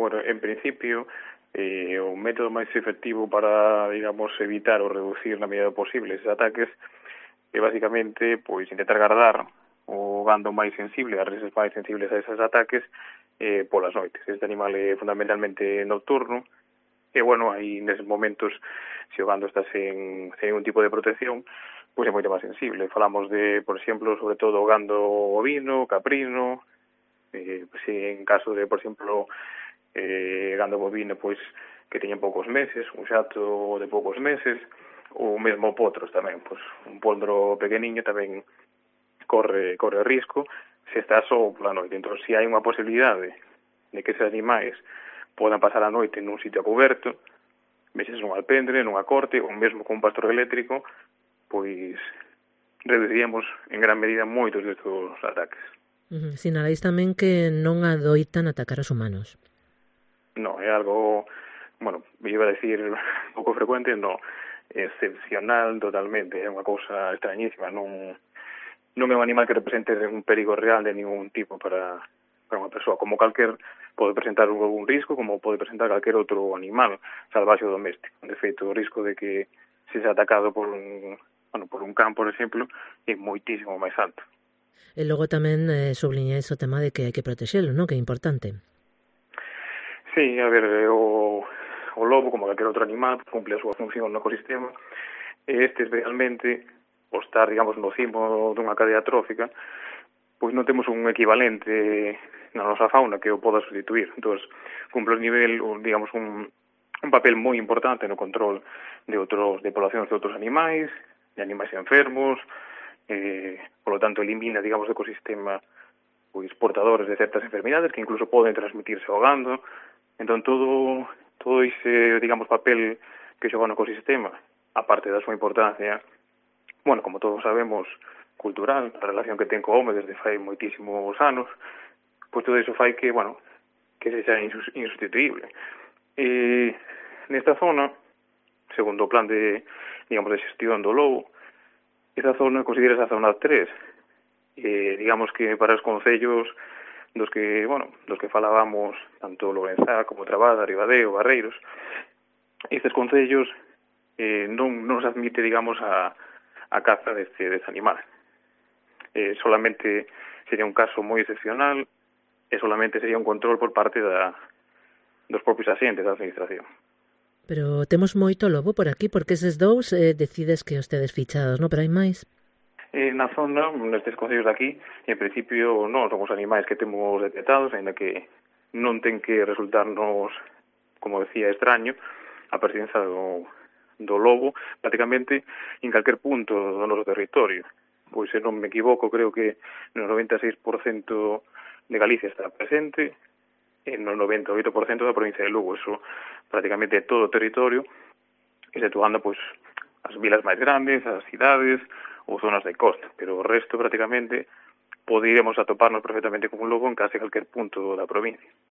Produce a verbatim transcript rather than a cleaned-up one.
Bueno, en principio, eh, o método máis efectivo para, digamos, evitar ou reducir na medida do posible esses ataques é basicamente, pois, intentar guardar o gando máis sensible, as reses máis sensibles a eses ataques, eh, polas noites. Este animal é fundamentalmente nocturno, e, bueno, aí neses momentos, se o gando está sen, sen ningún tipo de protección, pois é moito máis sensible. Falamos de, por exemplo, sobre todo o gando ovino, caprino, eh, se en caso de, por exemplo, eh, gando bovino, pois, que teñen poucos meses, un xato de poucos meses, ou mesmo potros tamén, pois, un pondro pequeniño tamén corre corre risco se está só pola noite. Entón, se hai unha posibilidade de que eses animais podan pasar a noite nun sitio coberto, veces nun alpendre, nunha corte, ou mesmo con un pastor eléctrico, pois reduciríamos en gran medida moitos destes ataques. Uh-huh. Sinaláis tamén que non adoitan atacar os humanos. No, é algo, bueno, iba a decir pouco frecuente, no, excepcional totalmente, é unha cousa extrañísima, non non é un animal que represente un perigo real de ningún tipo para, para unha persoa, como calquer pode presentar un risco, como pode presentar calquer outro animal salvaxe ou doméstico. De feito, o risco de que se sea atacado por un, bueno, por un can, por exemplo, é moitísimo máis alto. E logo tamén eh, subliñáis o tema de que hai que protexelo, non? Que é importante. Sí, a ver, o, o lobo, como calquer outro animal, cumple a súa función no ecosistema, e este realmente, o estar, digamos, no cimo dunha cadea trófica, pois non temos un equivalente na nosa fauna que o poda sustituir. Entón, cumple un nivel, digamos, un, un papel moi importante no control de outros de poblacións de outros animais, de animais enfermos, eh, por lo tanto, elimina, digamos, do ecosistema pois portadores de certas enfermidades que incluso poden transmitirse ao gando. Entón, todo, todo ese, digamos, papel que xoga no ecosistema, aparte da súa importancia, bueno, como todos sabemos, cultural, a relación que ten co home desde fai moitísimos anos, pois todo iso fai que, bueno, que se xa insustituible. E nesta zona, segundo o plan de, digamos, de xestión do lobo, esta zona considera esa zona tres, e digamos que para os concellos dos que, bueno, dos que falábamos, tanto Lorenzá como Trabada, Ribadeo, Barreiros, estes concellos eh, non, non se admite, digamos, a a caza deste, deste animal. Eh, solamente sería un caso moi excepcional e solamente sería un control por parte da, dos propios asentes da administración. Pero temos moito lobo por aquí, porque eses dous eh, decides que os tedes fichados, non? Pero hai máis? Eh, na zona, nestes concellos de aquí, en principio non son os animais que temos detectados, ainda que non ten que resultarnos, como decía, extraño, a presencia do do lobo, prácticamente en calquer punto do noso territorio. Pois, se non me equivoco, creo que no noventa e seis por cento de Galicia está presente, e no noventa e oito por cento da provincia de Lugo. Eso prácticamente é todo o territorio, exceptuando, pois, as vilas máis grandes, as cidades ou zonas de costa, pero o resto, prácticamente, poderíamos atoparnos perfectamente con un lobo en case calquer punto da provincia.